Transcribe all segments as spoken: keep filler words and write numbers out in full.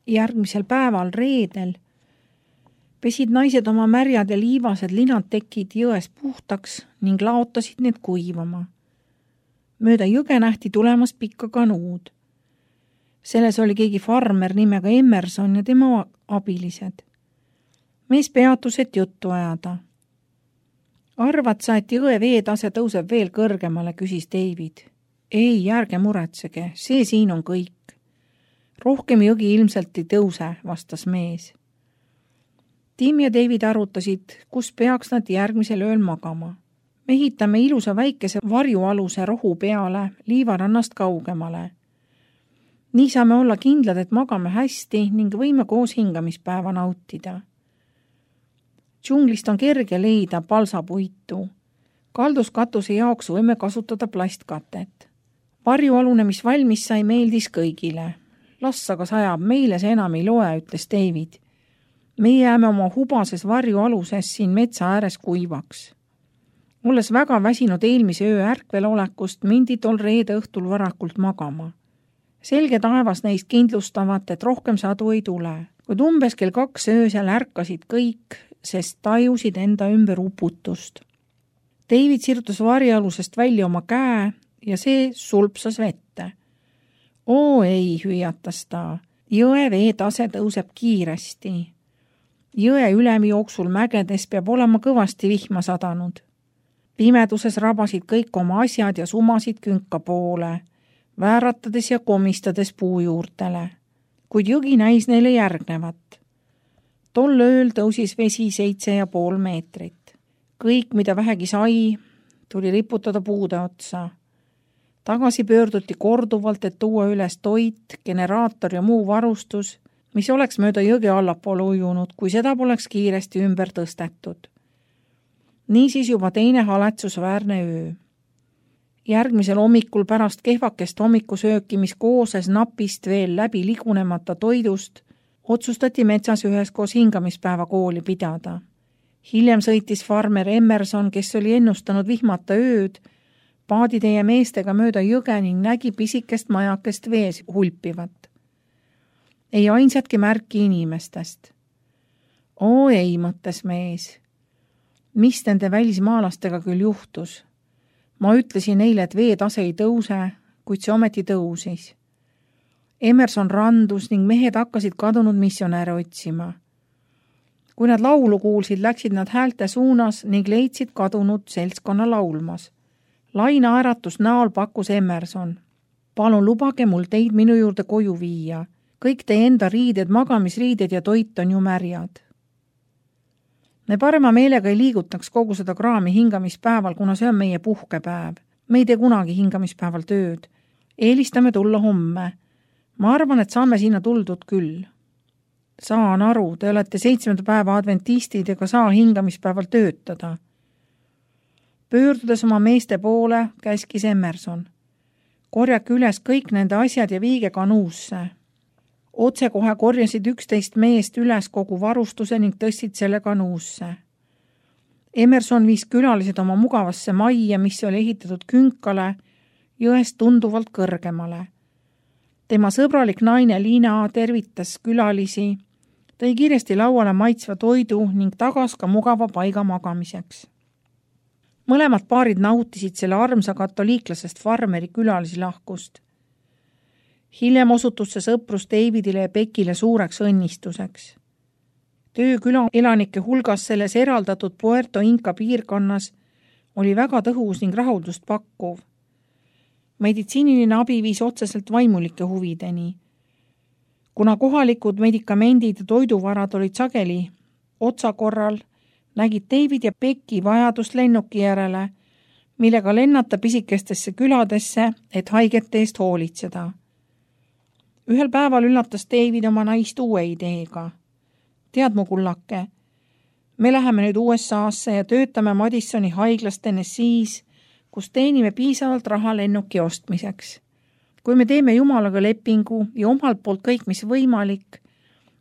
Järgmisel päeval reedel pesid naised oma märjad ja liivased linad tekid jões puhtaks ning laotasid need kuivama. Mööda jõge nähti tulemas pikka kanuud. Selles oli keegi farmer nimega Emerson ja tema abilised. Mees peatus, et juttu ajada. Arvad sa, et jõe veetase tõuseb veel kõrgemale, küsis David. Ei, ärge muretsege, see siin on kõik. Rohkem jõgi ilmselt ei tõuse, vastas mees. Tim ja David arutasid, kus peaks nad järgmisel ööl magama. Mehitame ilusa väikese varjualuse rohu peale liivarannast kaugemale. Nii saame olla kindlad, et magame hästi ning võime koos hingamispäeva nautida. Džunglist on kerge leida palsapuitu. Kalduskatuse jaoks võime kasutada plastkatet. Varjualune, mis valmis sai, meeldis kõigile. Las aga sajab, meile see enam ei loe, ütles David. Me jääme oma hubases varjualuses siin metsa ääres kuivaks. Olles väga väsinud eelmise öö ärkvel olekust, mindi tol reede õhtul varakult magama. Selge taevas neist kindlustavat, et rohkem sadu ei tule, kuid umbes kell kaks öösel ärkasid kõik, sest tajusid enda ümber uputust. David sirutas varjualusest välja oma käe ja see sulpsas vette. Oo ei, hüüatas ta, jõe veetase tõuseb kiiresti. Jõe ülemi jooksul mägedes peab olema kõvasti vihma sadanud. Pimeduses rabasid kõik oma asjad ja sumasid künka poole, vääratades ja komistades puu juurtele, kuid jõgi näis neile järgnevat. Tol ööl tõusis vesi seitse ja pool meetrit. Kõik, mida vähegi sai, tuli riputada puude otsa. Tagasi pöörduti korduvalt, et tuua üles toit, generaator ja muu varustus, mis oleks mööda jõge allapoole ujunud, kui seda poleks kiiresti ümber tõstetud. Niisiis juba teine haletsusväärne öö. Järgmisel hommikul pärast kehvakest hommikusööki, mis kooses napist veel läbi ligunemata toidust, otsustati metsas üheskoos hingamispäeva kooli pidada. Hiljem sõitis farmer Emerson, kes oli ennustanud vihmata ööd, paaditeie meestega mööda jõge ning nägi pisikest majakest vees hulpivat. Ei ainsatki märki inimestest. Oo ei, mõttes mees. Mis nende välismaalastega küll juhtus? Ma ütlesin neile, et veetase ei tõuse, kuid see ometi tõusis. Emerson randus ning mehed hakkasid kadunud missionäre otsima. Kui nad laulu kuulsid, läksid nad häälte suunas ning leidsid kadunud seltskonna laulmas. Laina äratus näol pakkus Emerson. Palun lubage mul teid minu juurde koju viia. Kõik teie enda riided, magamisriided ja toit on ju märjad. Me parema meelega ei liigutaks kogu seda kraami hingamispäeval, kuna see on meie puhkepäev. Me ei tee kunagi hingamispäeval tööd. Eelistame tulla homme. Ma arvan, et saame sinna tuldud küll. Saan aru, te olete seitsmenda päeva adventistid ega saa hingamispäeval töötada. Pöördudes oma meeste poole, käskis Emerson. Korjake üles kõik nende asjad ja viige kanuusse. Otse kohe korjasid üksteist meest üles kogu varustuse ning tõstsid selle kanuusse. Emerson viis külalised oma mugavasse majja, mis oli ehitatud künkale, jõest tunduvalt kõrgemale. Tema sõbralik naine Liina tervitas külalisi, tõi kiiresti lauale maitsva toidu ning tagas ka mugava paiga magamiseks. Mõlemad paarid nautisid selle armsa katoliiklasest farmeri külalisi lahkust. Hiljem osutus see sõprus Davidile ja Beckile suureks õnnistuseks. Töö küla elanike hulgas selles eraldatud Puerto Inca piirkonnas oli väga tõhus ning rahuldust pakkuv. Meditsiiniline abi viis otseselt vaimulike huvideni. Kuna kohalikud medikamendid ja toiduvarad olid sageli otsakorral, nägid David ja Becky vajadust lennuki järele, millega lennata pisikestesse küladesse, et haigete eest hoolitseda. Ühel päeval üllatas David oma naist uue ideega. Tead mu kullake, me läheme nüüd U S A-sse ja töötame Madisoni haiglas Tennessee's, kus teenime piisavalt raha lennuki ostmiseks. Kui me teeme Jumalaga lepingu ja omalt poolt kõik, mis võimalik,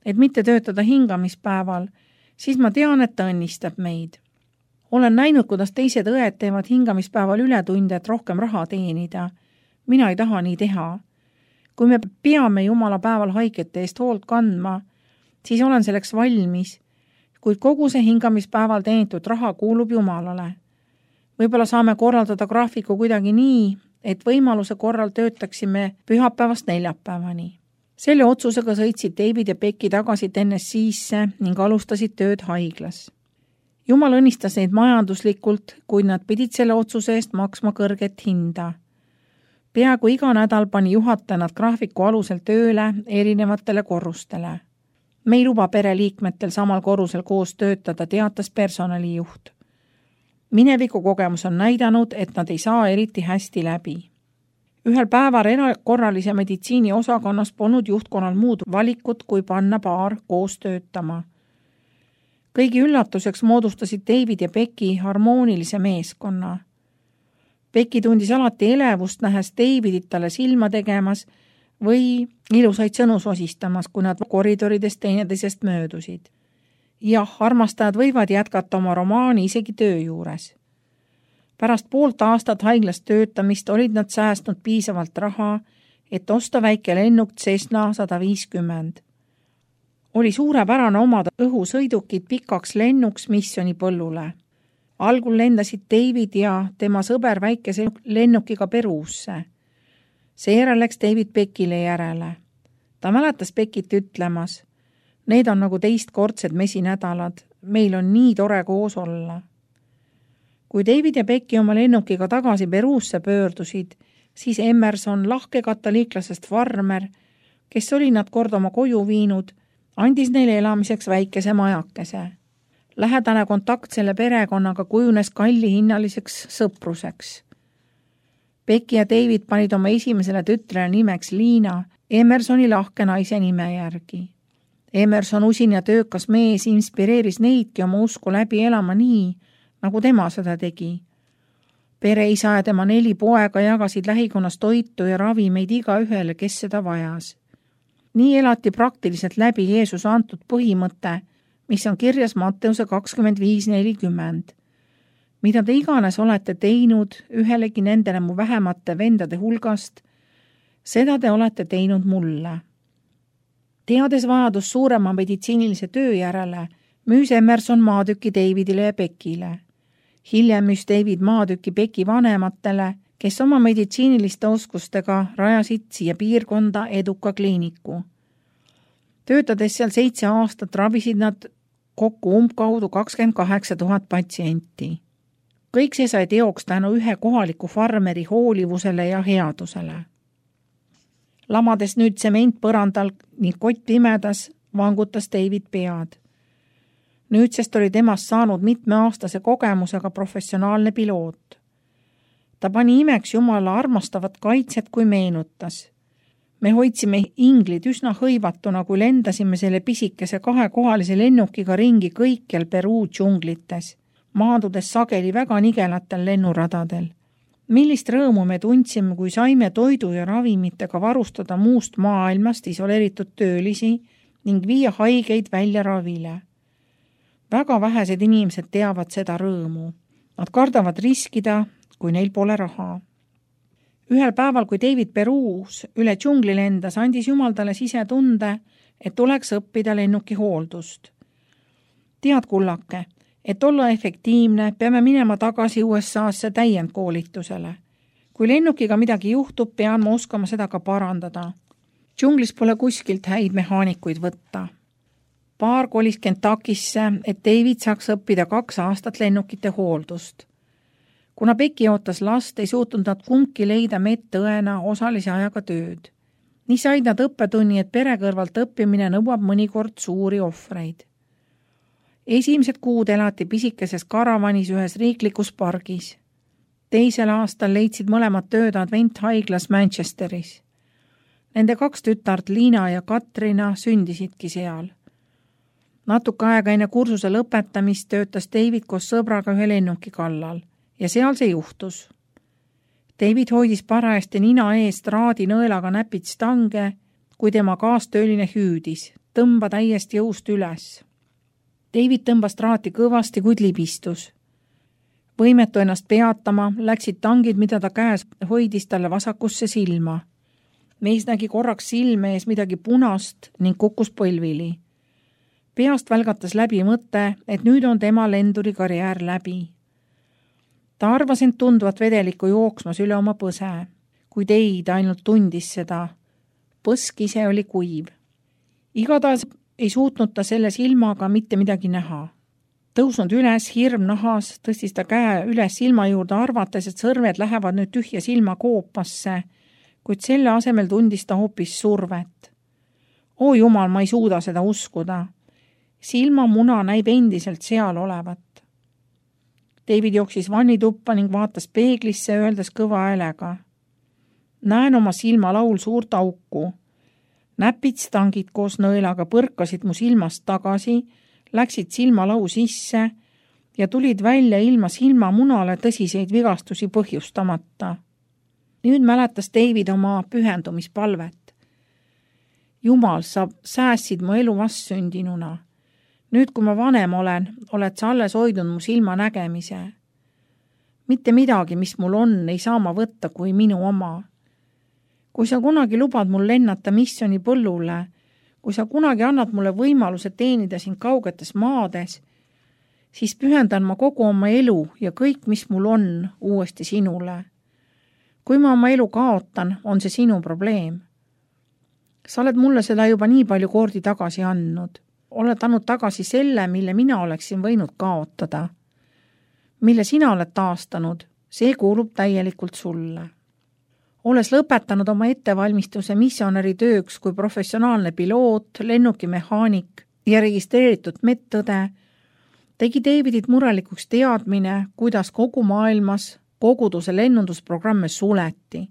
et mitte töötada hingamispäeval, siis ma tean, et ta õnnistab meid. Olen näinud, kuidas teised õed teevad hingamispäeval ületunde, et rohkem raha teenida. Mina ei taha nii teha. Kui me peame Jumala päeval haigete eest hoolt kandma, siis olen selleks valmis, kuid kogu see hingamispäeval teenitud raha kuulub Jumalale. Võib-olla saame korraldada graafiku kuidagi nii, et võimaluse korral töötaksime pühapäevast neljapäevani. Selle otsusega sõitsid David ja Becky tagasi Tennessee'sse ning alustasid tööd haiglas. Jumal õnnistas neid majanduslikult, kuid nad pidid selle otsuse eest maksma kõrget hinda. Peaaegu iga nädal pani juhataja nad graafiku alusel tööle erinevatele korrustele. Me ei luba pereliikmetel samal korrusel koos töötada, teatas personalijuht. Mineviku kogemus on näidanud, et nad ei saa eriti hästi läbi. Ühel päeval erakorralise meditsiini osakonnas polnud juhtkonnal muud valikut, kui panna paar koos töötama. Kõigi üllatuseks moodustasid David ja Becky harmoonilise meeskonna. Becky tundis alati elevust, nähes Davidit talle silma tegemas või ilusaid sõnu sosistamas, kui nad koridorides teineteisest möödusid. Jah, armastajad võivad jätkata oma romaani isegi töö juures. Pärast poolt aastat haiglas töötamist olid nad säästnud piisavalt raha, et osta väike lennuk Cessna sada viiskümmend. Oli suurepärane omada õhusõidukid pikaks lennuks missiooni põllule. Algul lendasid David ja tema sõber väikese lennukiga Peruusse. Seejärel läks David Beckile järele. Ta mäletas Beckit ütlemas, need on nagu teistkordsed mesinädalad, meil on nii tore koos olla. Kui David ja Becky oma lennukiga tagasi Peruusse pöördusid, siis Emerson, lahke katoliiklasest farmer, kes oli nad kord oma koju viinud, andis neile elamiseks väikese majakese. Lähedane kontakt selle perekonnaga kujunes kallihinnaliseks sõpruseks. Becky ja David panid oma esimesele tütrele nimeks Liina, Emersoni lahke naise nime järgi. Emerson, usin ja töökas mees, inspireeris neidki oma usku läbi elama nii, nagu tema seda tegi. Pereisa ja tema neli poega jagasid lähikonnas toitu ja ravimeid iga ühele, kes seda vajas. Nii elati praktiliselt läbi Jeesuse antud põhimõte, mis on kirjas Matteuse kakskümmend viis nelikümmend. Mida te iganes olete teinud ühelegi nendele mu vähemate vendade hulgast, seda te olete teinud mulle. Teades vajadus suurema meditsiinilise töö järele, müüs Emerson maatüki Davidile ja Beckile. Hiljem müüs David maatüki Becky vanematele, kes oma meditsiiniliste oskustega rajasid siia piirkonda eduka kliiniku. Töötades seal seitse aastat ravisid nad kokku umbkaudu kakskümmend kaheksa tuhat patsienti. Kõik see sai teoks tänu ühe kohaliku farmeri hoolivusele ja headusele. Lamades nüüd tsement põrandal ning kott pimedas, vangutas David pead. Nüüdsest oli temast saanud mitmeaastase kogemusega professionaalne piloot. Ta pani imeks Jumala armastavat kaitset, kui meenutas. Me hoidsime inglid üsna hõivatuna, kui lendasime selle pisikese kahekohalise lennukiga ringi kõikjal Peruu džunglites, maandudes sageli väga nigelatel lennuradadel. Millist rõõmu me tundsime, kui saime toidu ja ravimitega varustada muust maailmast isoleeritud töölisi ning viia haigeid välja ravile. Väga vähesed inimesed teavad seda rõõmu. Nad kardavad riskida, kui neil pole raha. Ühel päeval, kui David Peruus üle džungli lendas, andis Jumal talle sisetunde, et tuleks õppida lennuki hooldust. Tead, kullake, et olla efektiivne, peame minema tagasi U S A-sse täiendkoolitusele. Kui lennukiga midagi juhtub, pean ma oskama seda ka parandada. Džunglis pole kuskilt häid mehaanikuid võtta. Paar kolis Kentuckisse, et David saaks õppida kaks aastat lennukite hooldust. Kuna Becky ootas last, ei suutnud nad kumbki leida medõena osalise ajaga tööd. Nii said nad õppetunni, et pere kõrvalt õppimine nõuab mõnikord suuri ohvreid. Esimesed kuud elati pisikeses karavanis ühes riiklikus pargis. Teisel aastal leidsid mõlemad tööd Advent-haiglas Manchesteris. Nende kaks tütart Liina ja Katrina sündisidki seal. Natuke aega enne kursuse lõpetamist töötas David koos sõbraga ühe lennuki kallal ja seal see juhtus. David hoidis parajasti nina eest raadi nõelaga näpid stange, kui tema kaastööline hüüdis, tõmba täiesti jõust üles. David tõmbas traati kõvasti, kuid libistus. Võimetu ennast peatama, läksid tangid, mida ta käes hoidis talle vasakusse silma. Mees nägi korraks silme ees midagi punast ning kukkus põlvili. Peast välgatas läbi mõte, et nüüd on tema lenduri karjäär läbi. Ta arvas end tundvat vedelikku jooksmas üle oma põse, kuid ei, ta ainult tundis seda. Põsk ise oli kuiv. Igatahes ei suutnud ta selle silmaga mitte midagi näha. Tõusnud üles, hirm nahas, tõstis ta käe üles silma juurde, arvates, et sõrved lähevad nüüd tühja silma koopasse, kuid selle asemel tundis ta hoopis survet. Oo jumal, ma ei suuda seda uskuda. Silmamuna näib endiselt seal olevat. David jooksis vannituppa ning vaatas peeglisse, öeldes kõva häälega. Näen oma silma laul suurt auku. Näpid stangid koos nõelaga põrkasid mu silmast tagasi, läksid silmalau sisse ja tulid välja ilma silmamunale tõsiseid vigastusi põhjustamata. Nüüd mäletas David oma pühendumispalvet. Jumal, sa säässid mu elu vastsündinuna. Nüüd, kui ma vanem olen, oled sa alles hoidnud mu silma nägemise. Mitte midagi, mis mul on, ei saa ma võtta kui minu oma. Kui sa kunagi lubad mul lennata missioni põllule, kui sa kunagi annad mulle võimaluse teenida siin kaugetes maades, siis pühendan ma kogu oma elu ja kõik, mis mul on, uuesti sinule. Kui ma oma elu kaotan, on see sinu probleem. Sa oled mulle seda juba nii palju kordi tagasi andnud. Oled andnud tagasi selle, mille mina oleksin võinud kaotada. Mille sina oled taastanud, see kuulub täielikult sulle. Olles lõpetanud oma ettevalmistuse missionäri tööks kui professionaalne piloot, lennukimehaanik ja registreeritud medõde, tegi Davidit murelikuks teadmine, kuidas kogu maailmas koguduse lennundusprogramme suleti.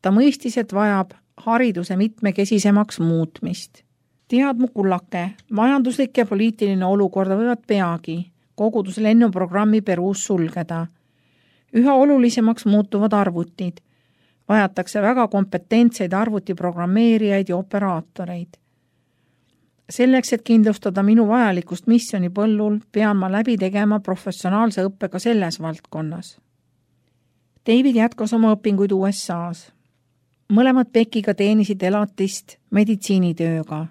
Ta mõistis, et vajab hariduse mitmekesisemaks muutmist. Tead mu kullake, majanduslik ja poliitiline olukorda võivad peagi koguduse lennuprogrammi Peruus sulgeda. Üha olulisemaks muutuvad arvutid. Vajatakse väga kompetentseid arvutiprogrammeerijaid ja operaatoreid. Selleks, et kindlustada minu vajalikust missioni põllul, pean ma läbi tegema professionaalse õppega selles valdkonnas. David jätkas oma õpinguid U S A-s. Mõlemad Beckiga teenisid elatist meditsiinitööga.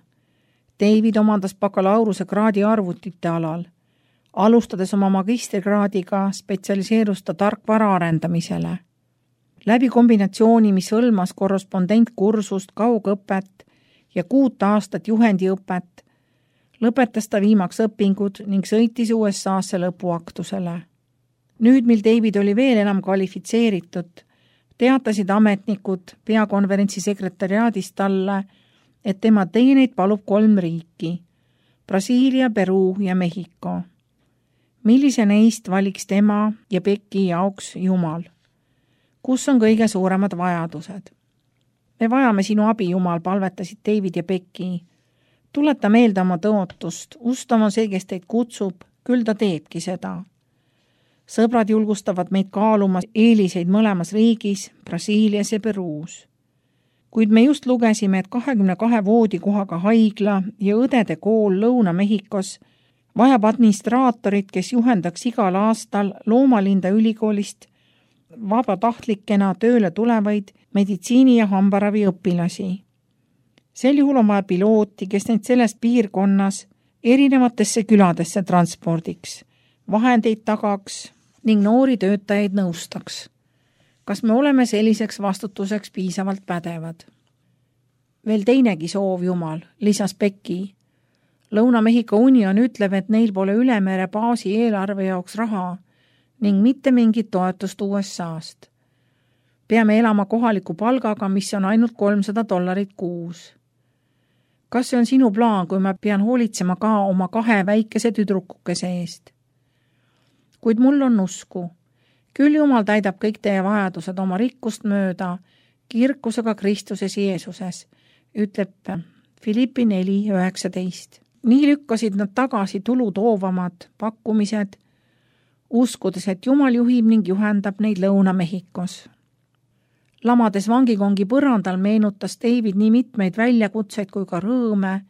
David omandas bakalaureuse kraadi arvutite alal. Alustades oma magistrikraadiga spetsialiseerus ta tarkvara arendamisele. Läbi kombinatsiooni, mis hõlmas korrespondentkursust, kaugõpet ja kuut aastat juhendiõpet, lõpetas ta viimaks õpingud ning sõitis U S A-sse lõpuaktusele. Nüüd, mil David oli veel enam kvalifitseeritud, teatasid ametnikud peakonverentsi sekretariaadist talle, et tema teeneid palub kolm riiki, Brasiilia, Peruu ja Mehhiko. Millise neist valiks tema ja Becki jaoks Jumal? Kus on kõige suuremad vajadused? Me vajame sinu abi, Jumal, palvetasid David ja Becki. Tuleta meelde oma tõotust, ustav on see, kes teid kutsub, küll ta teebki seda. Sõbrad julgustavad meid kaaluma eeliseid mõlemas riigis, Brasiilias ja Peruus. Kuid me just lugesime, et kahekümne kahe voodikohaga haigla ja õdede kool Lõuna-Mehhikos vajab administraatorit, kes juhendaks igal aastal Loomalinda ülikoolist vabatahtlikena tööle tulevaid meditsiini- ja hambaravi õpilasi. Sel juhul on vaja pilooti, kes neid selles piirkonnas erinevatesse küladesse transpordiks, vahendeid tagaks ning noori töötajaid nõustaks. Kas me oleme selliseks vastutuseks piisavalt pädevad? Veel teinegi soov, Jumal, lisas Becki. Lõuna-Mehhiko Union ütleb, et neil pole ülemere baasi eelarve jaoks raha ning mitte mingit toetust U S A-st. Peame elama kohaliku palgaga, mis on ainult kolmsada dollarit kuus. Kas see on sinu plaan, kui ma pean hoolitsema ka oma kahe väikese tüdrukukese eest? Kuid mul on usku. Küll Jumal täidab kõik teie vajadused oma rikkust mööda, kirkusega Kristuses Jeesuses, ütleb Filippi neli üheksateist. Nii lükkasid nad tagasi tulu toovamad pakkumised, uskudes, et Jumal juhib ning juhendab neid Lõuna-Mehhikos. Lamades vangikongi põrandal meenutas David nii mitmeid väljakutseid kui ka rõõme,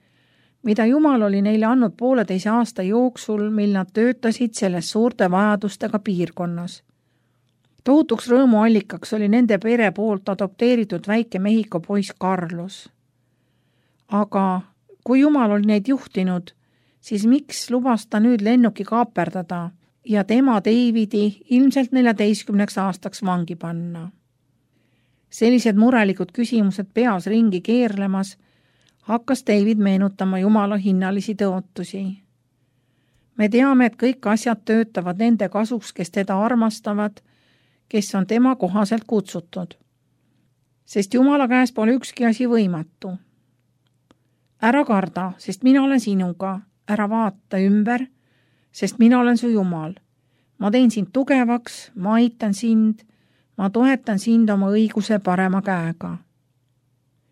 mida Jumal oli neile andnud pooleteise aasta jooksul, mil nad töötasid selles suurte vajadustega piirkonnas. Tohutuks rõõmuallikaks oli nende pere poolt adopteeritud väike Mehhiko poiss Carlos. Aga kui Jumal oli neid juhtinud, siis miks lubas ta nüüd lennuki kaaperdada ja tema Davidi ilmselt neljateistkümneks aastaks vangi panna? Sellised murelikud küsimused peas ringi keerlemas hakkas David meenutama Jumala hinnalisi tõotusi. Me teame, et kõik asjad töötavad nende kasuks, kes teda armastavad, kes on tema kohaselt kutsutud. Sest Jumala käes pole ükski asi võimatu. Ära karda, sest mina olen sinuga. Ära vaata ümber, sest mina olen su Jumal. Ma teen sind tugevaks, ma aitan sind, ma toetan sind oma õiguse parema käega.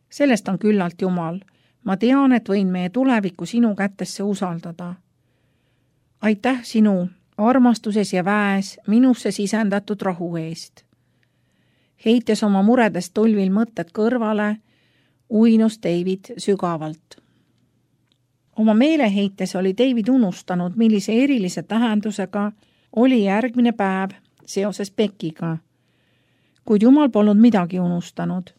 Sellest on küllalt Jumal. Ma tean, et võin meie tulevikku sinu kätesse usaldada. Aitäh sinu armastuses ja väes minusse sisendatud rahu eest. Heites oma muredest tulvil mõtted kõrvale, uinus David sügavalt. Oma meeleheites oli David unustanud, millise erilise tähendusega oli järgmine päev seoses Beckiga. Kuid Jumal polnud midagi unustanud.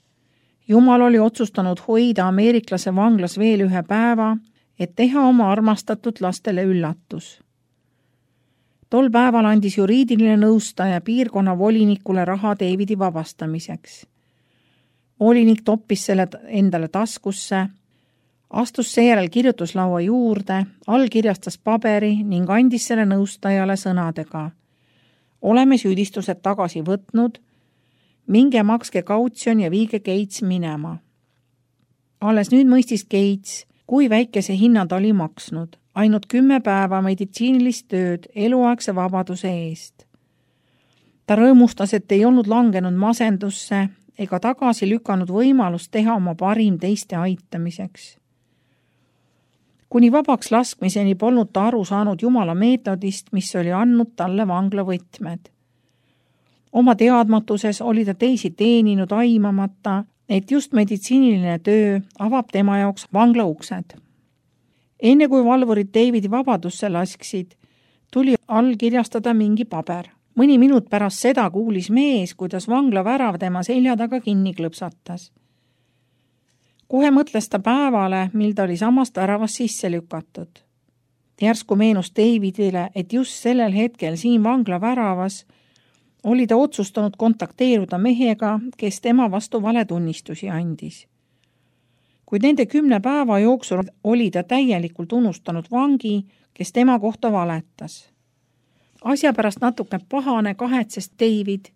Jumal oli otsustanud hoida ameeriklase vanglas veel ühe päeva, et teha oma armastatud lastele üllatus. Tol päeval andis juriidiline nõustaja piirkonna volinikule raha Davidi vabastamiseks. Volinik toppis selle endale taskusse, astus seejärel kirjutuslaua juurde, allkirjastas paberi ning andis selle nõustajale sõnadega. Oleme süüdistused tagasi võtnud, minge makske kautsjon ja viige Gates minema. Alles nüüd mõistis Gates, kui väikese hinna ta oli maksnud, ainult kümme päeva meditsiinilist tööd eluaegse vabaduse eest. Ta rõõmustas, et ei olnud langenud masendusse ega tagasi lükanud võimalust teha oma parim teiste aitamiseks. Kuni vabaks laskmiseni polnud ta aru saanud Jumala meetodist, mis oli andnud talle vangla võtmed. Oma teadmatuses oli ta teisi teeninud aimamata, et just meditsiiniline töö avab tema jaoks vangla uksed. Enne kui valvurid Davidi vabadusse lasksid, tuli allkirjastada mingi paber. Mõni minut pärast seda kuulis mees, kuidas vangla värav tema selja taga kinni klõpsatas. Kohe mõtles ta päevale, mil ta oli samast väravast sisse lükatud. Järsku meenus Davidile, et just sellel hetkel siin vangla väravas oli ta otsustanud kontakteeruda mehega, kes tema vastu valetunnistusi andis. Kuid nende kümne päeva jooksul oli ta täielikult unustanud vangi, kes tema kohta valetas. Asja pärast natuke pahane kahetses David,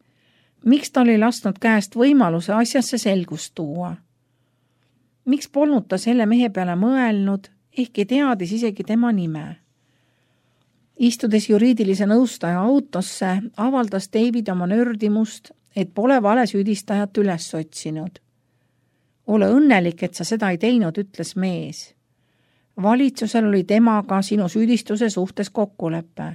miks ta oli lasknud käest võimaluse asjasse selgust tuua. Miks polnud ta selle mehe peale mõelnud, ehkki teadis isegi tema nime. Istudes juriidilise nõustaja autosse, avaldas David oma nördimust, et pole vale süüdistajat üles otsinud. Ole õnnelik, et sa seda ei teinud, ütles mees. Valitsusel oli temaga sinu süüdistuse suhtes kokkulepe.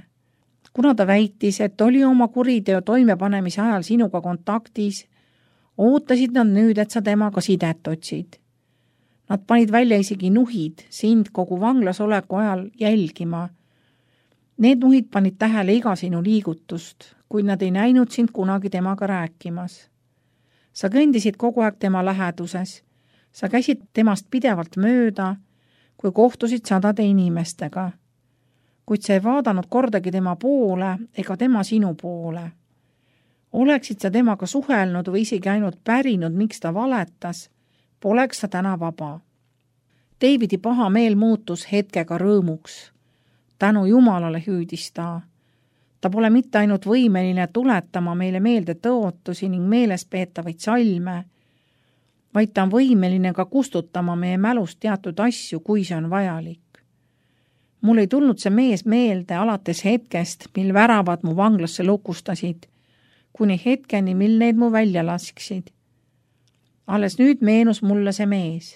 Kuna ta väitis, et oli oma kuriteo toimepanemise ajal sinuga kontaktis, ootasid nad nüüd, et sa temaga sidet otsid. Nad panid välja isegi nuhid sind kogu vanglas oleku ajal jälgima. Need nuhid panid tähele iga sinu liigutust, kuid nad ei näinud sind kunagi temaga rääkimas. Sa kõndisid kogu aeg tema läheduses. Sa käisid temast pidevalt mööda, kui kohtusid sadade inimestega. Kuid sa ei vaadanud kordagi tema poole ega tema sinu poole. Oleksid sa temaga suhelnud või isegi ainult pärinud, miks ta valetas, poleks sa täna vaba. Davidi paha meel muutus hetkega rõõmuks. Tänu Jumalale hüüdis ta. Ta pole mitte ainult võimeline tuletama meile meelde tõotusi ning meeles peetavaid salme, vaid ta on võimeline ka kustutama meie mälust teatud asju, kui see on vajalik. Mul ei tulnud see mees meelde alates hetkest, mil väravad mu vanglasse lukustasid, kuni hetkeni, mil need mu välja lasksid. Alles nüüd meenus mulle see mees.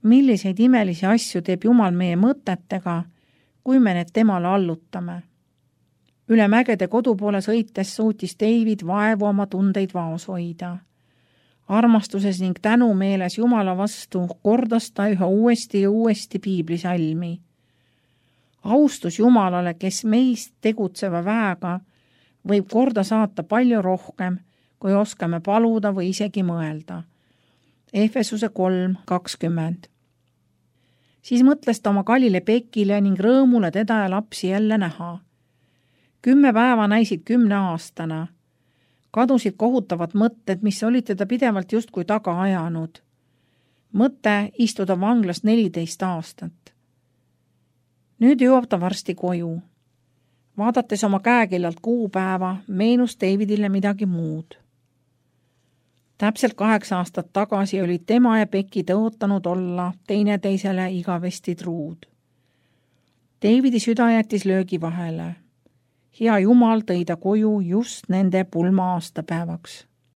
Milliseid imelisi asju teeb Jumal meie mõtetega, kui me need temale allutame. Üle mägede kodu poole sõites suutis David vaevu oma tundeid vaos hoida. Armastuses ning tänu meeles Jumala vastu kordas ta üha uuesti ja uuesti piiblisalmi. Austus Jumalale, kes meist tegutseva väega võib korda saata palju rohkem, kui oskame paluda või isegi mõelda. Efesuse kolm kakskümmend. Siis mõtles ta oma kallile Pekile ning rõõmule teda ja lapsi jälle näha. Kümme päeva näisid kümne aastana. Kadusid kohutavad mõtted, mis olid teda pidevalt justkui taga ajanud. Mõte istuda vanglas neliteist aastat. Nüüd jõuab ta varsti koju. Vaadates oma käekellalt kuupäeva, meenus Davidile midagi muud. Täpselt kaheksa aastat tagasi olid tema ja Becky tõotanud olla teineteisele igavesti truud. Davidi süda jättis löögi vahele. Hea Jumal tõi ta koju just nende pulma aastapäevaks.